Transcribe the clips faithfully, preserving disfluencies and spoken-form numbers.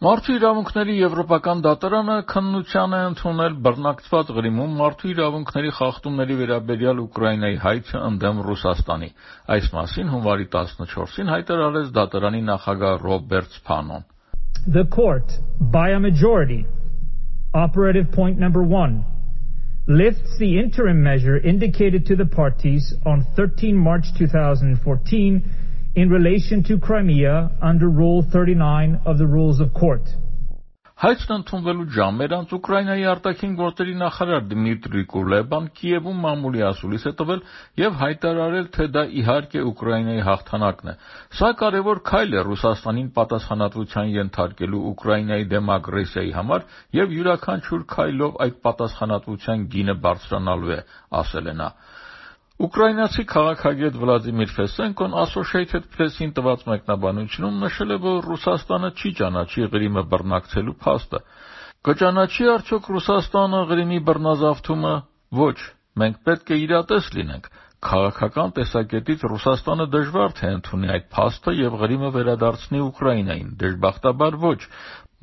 Մարդու իրավունքների եվրոպական դատարանը քննության է ընդունել բռնակցված Ղրիմում մարդու իրավունքների խախտումների վերաբերյալ Ուկրաինայի հայցը ընդդեմ Ռուսաստանի։ Այս մասին հունվարի տասնչորսին հայտարարեց դատարանի նախագահ Ռոբերտ Սփանոն։ The court, by a majority, operative point number one, lifts the interim measure indicated to the parties on the thirteenth of March two thousand fourteen in relation to Crimea under Rule thirty-nine of the Rules of Court. Հայցն ընդունվելու ժամեր անց Ուկրաինայի արտաքին գործերի նախարար Դմիտրի Կուլեբան Կիևում մամուլի ասուլիս է տվել եւ հայտարարել, թե դա իհարկե Ուկրաինայի հաղթանակն է։ Սա կարևոր քայլ է Ռուսաստանին պատասխանատվության ենթարկելու Ուկրաինայի դեմ ագրեսիայի համար եւ յուրաքանչյուր քայլով այդ պատասխանատվության գինը բարձրանալու է, ասել է նա։ Ուկրաինացի քաղաքագետ Վլադիմիր Ֆեսենկոն Associated Press-ին տված մեկնաբանությունում նշել է, որ Ռուսաստանը չի ճանաչի Ղրիմը բռնակցելու փաստը։ Կճանաչի արդյոք Ռուսաստանը Ղրիմի բռնազավթումը։ Ոչ, մենք պետք է իրատես լինենք։ Քաղաքական տեսակետից Ռուսաստանը դժվար թե ընդունի այդ փաստը եւ Ղրիմը վերադարձնի Ուկրաինային, դժբախտաբար ոչ։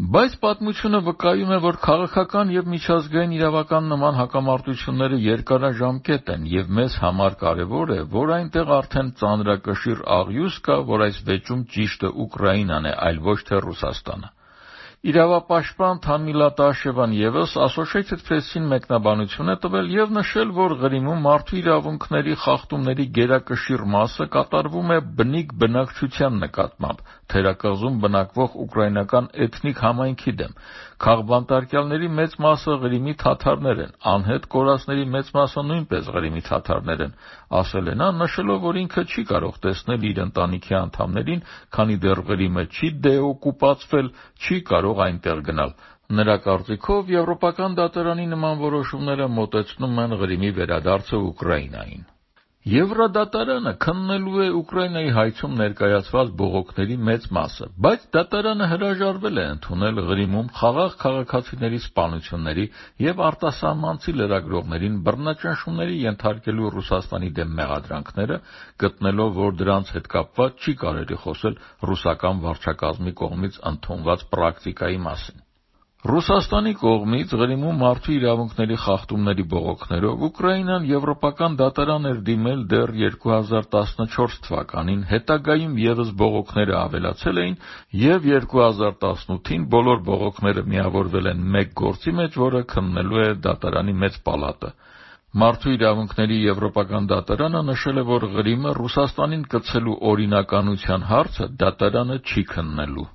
Բայց պատմությունը վկայում է, որ քաղաքական եւ միջազգային իրավական նման հակամարտությունները երկարաժամկետ են եւ մեզ համար կարեւոր է, որ այնտեղ արդեն ծանրակշիռ աղյուս կա, որ այս վեճում ճիշտը Ուկրաինան է, այլ ոչ թե Ռուսաստանը։ Իրավապաշտպան Թամիլա Տաշևան եւս Associated Press-ին մեկնաբանություն է տվել եւ նշել, որ Ղրիմում մարդու իրավունքների խախտումների գերակշիռ մասը կատարվում է բնիկ բնակչության նկատմամբ, թերակղզում բնակվող ուկրաինական էթնիկ համայնքի դեմ։ Քաղբանտարկյալների մեծ մասը Ղրիմի թաթարներ են, անհետ կորածների մեծ մասը նույնպես Ղրիմի թաթարներ են, ասել է նա, նշելով, որ ինքը չի կարող տեսնել իր ընտանիքի անդամներին, քանի դեռ Ղրիմը չի դեօկուպացվել, չի կարող այնտեղ գնալ։ Նրա կարծիքով Եվրոպական դատարանի նման որոշումները մոտեցնում են Ղրիմի վերադարձը Ուկրաինային։ Եվրոդատարանը քննելու է Ուկրաինայի հայցում ներկայացված բողոքների մեծ մասը, բայց դատարանը հրաժարվել է ընդունել Ղրիմում խաղաղ քաղաքացիների սպանությունների եւ արտասահմանցի լրագրողներին բռնաճնշումների ենթարկելու Ռուսաստանի դեմ մեղադրանքները, գտնելով, որ դրանց հետ կապված չի կարելի խոսել ռուսական վարչակազմի կողմից ընդունված պրակտիկայի մասին։ Ռուսաստանի կողմից Ղրիմում մարդու իրավունքների խախտումների բողոքներով Ուկրաինան եվրոպական դատարան էր դիմել դեռ երկու հազար տասնչորս թվականին, հետագայում եւս բողոքները ավելացել էին եւ երկու հազար տասնութին բոլոր բողոքները միավորվել են մեկ գործի մեջ, որը քննելու է դատարանի մեծ պալատը։ Մարդու իրավունքների եվրոպական դատարանը նշել է, որ Ղրիմը Ռուսաստանին կցելու օրինականության հարցը դատարանը չի քննելու։